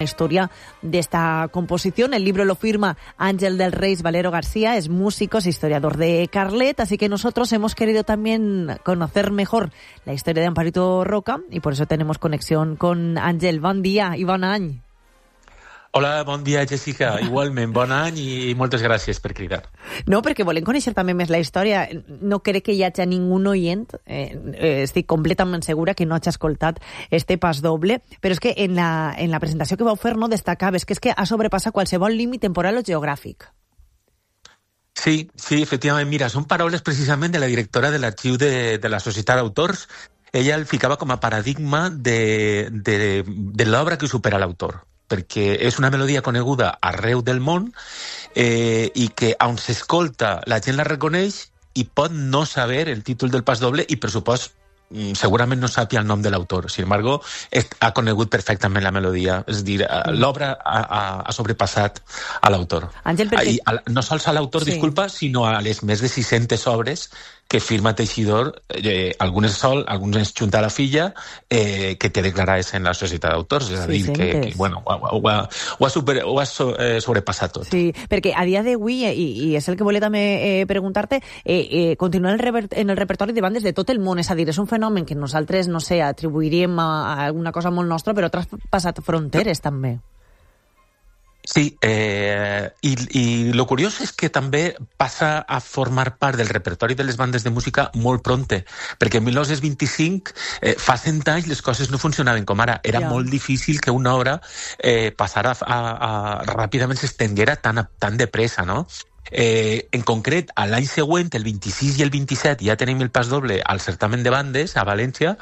La historia de esta composición. El libro lo firma Ángel del Reis Valero García, es músico, es historiador de Carlet, así que nosotros hemos querido también conocer mejor la historia de Amparito Roca y por eso tenemos conexión con Ángel. Bon dia i bon any. Hola, bon dia, Jessica. Igualment, bon any i moltes gràcies per cridar. No, perquè volem conèixer també més la història. No crec que hi hagi ningú oient, estic completament segura que no hagi escoltat este pas doble, però és que en la presentació que vau fer no destacaves que és que ha sobrepassat qualsevol límit temporal o geogràfic. Sí, efectivament. Mira, són paraules precisament de la directora de l'arxiu de la Societat d'Autors. Ella el ficava com a paradigma de l'obra que supera l'autor, perquè és una melodia coneguda arreu del món i que, on s'escolta, la gent la reconeix i pot no saber el títol del pas doble i, per supost, segurament no sàpia el nom de l'autor. Sin embargo, ha conegut perfectament la melodia. És a dir, l'obra ha sobrepassat a l'autor. Àngel, perquè... No sols a l'autor, sí, disculpa, sinó a les més de 600 obres que firma Teixidor, algunes sol, algunes junta a la filla, que té declarades en la Societat d'Autors. És a dir, que bueno, ho ha sobrepassat tot. Sí, perquè a dia d'avui, i és el que volia també preguntar-te, continua en el repertori de bandes de tot el món, és a dir, és un fenomen que nosaltres, no sé, atribuiríem a alguna cosa molt nostra, però ha traspassat fronteres també. Sí, i lo curiós és que també passa a formar part del repertori de les bandes de música molt pronte, perquè en 1925, fa 100 anys, les coses no funcionaven com ara. Era molt difícil que una obra passara ràpidament s'estenguera tan de pressa, no? En concret, a l'any següent, el 26 i el 27, ja tenim el pas doble al certamen de bandes a València.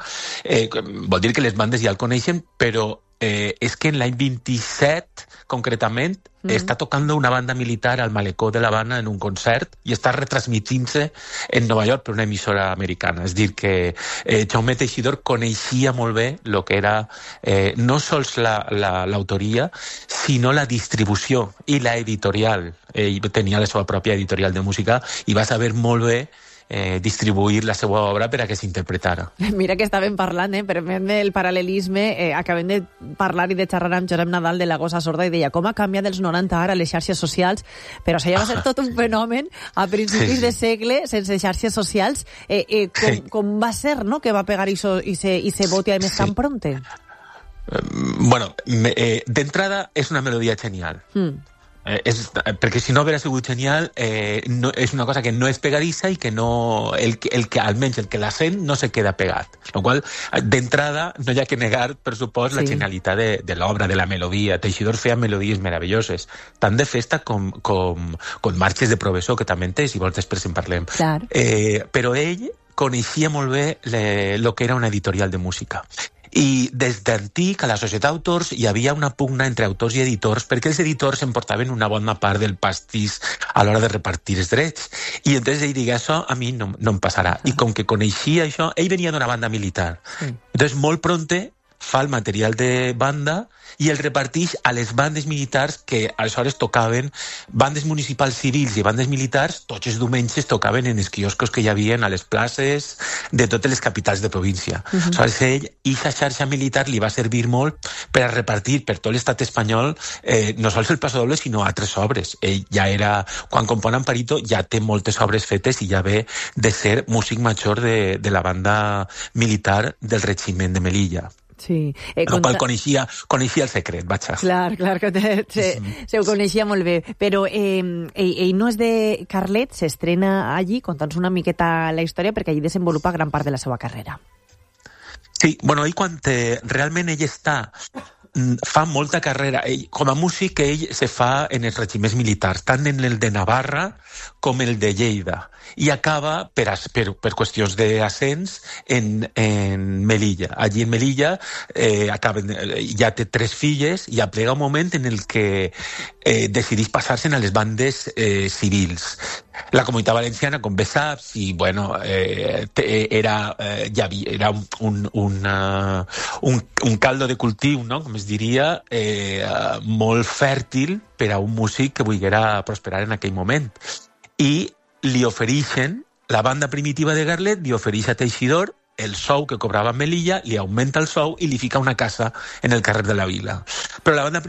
Vol dir que les bandes ja el coneixen, però és que en l'any 27, concretament, està tocant una banda militar al Malecó de l'Havana en un concert i està retransmitint-se en Nova York per una emissora americana. És dir, que Jaume Teixidor coneixia molt bé el que era no sols l'autoria, sinó la distribució i la editorial. Ell tenia la seva pròpia editorial de música i va saber molt bé distribuir la seva obra per a que s'interpretara. Mira que estàvem parlant, permet del paral·lelisme, acabem de parlar i de xerrar amb Josep Nadal de La Gossa Sorda i deia com ha canviat dels 90 ara les xarxes socials, però això ja va ser tot un fenomen a principis de segle sense xarxes socials. Com va ser, no?, que va pegar i se voti a més tan pronte? Bueno, d'entrada és una melodia genial. Perquè si no haguera sigut genial, és una cosa que no és pegadissa i que no, almenys el que la sent no se queda pegat. Lo qual, d'entrada, no hi ha que negar, per supost, la genialitat de l'obra, de la melodia. Teixidor feia melodies meravelloses, tant de festa com marxes de professor, que també en té, si vols després en parlem. Però ell coneixia molt bé el que era una editorial de música. I des d'antic, a la Societat d'Autors, hi havia una pugna entre autors i editors perquè els editors emportaven una bona part del pastís a l'hora de repartir els drets. I entonces ell digué, això a mi no em passarà. I com que coneixia això, ell venia d'una banda militar. Entonces, molt pronte, fa el material de banda i el repartix a les bandes militars que aleshores tocaven, bandes municipals civils i bandes militars, tots els diumenges tocaven en els quioscos que hi havia a les places de totes les capitals de província. Aleshores ell, aquesta xarxa militar li va servir molt per a repartir per tot l'estat espanyol no sols el pasodoble sinó altres obres. Ell ja era, quan compon Amparito ja té moltes obres fetes i ja ve de ser músic major de la banda militar del regiment de Melilla. Sí. El qual coneixia el secret, vaja. Clar, que se ho coneixia molt bé. Però ell no és de Carlet, s'estrena allí, contant-nos una miqueta la història, perquè allí desenvolupa gran part de la seva carrera. Sí, bueno, ell quan realment ell fa molta carrera. Com a músic, ell se fa en els regiments militars, tant en el de Navarra com el de Lleida. I acaba, per qüestions d'ascens, en Melilla. Allí en Melilla ja té 3 filles i aplega un moment en el que decideix passar-se'n a les bandes civils. La Comunitat Valenciana, com bé saps, i bueno, era un caldo de cultiu, no?, com es diria, molt fèrtil per a un músic que volguera prosperar en aquell moment. I li ofereixen, la banda primitiva de Carlet li ofereix a Teixidor el sou que cobrava Melilla, li augmenta el sou i li fica una casa en el carrer de la Vila. Però la banda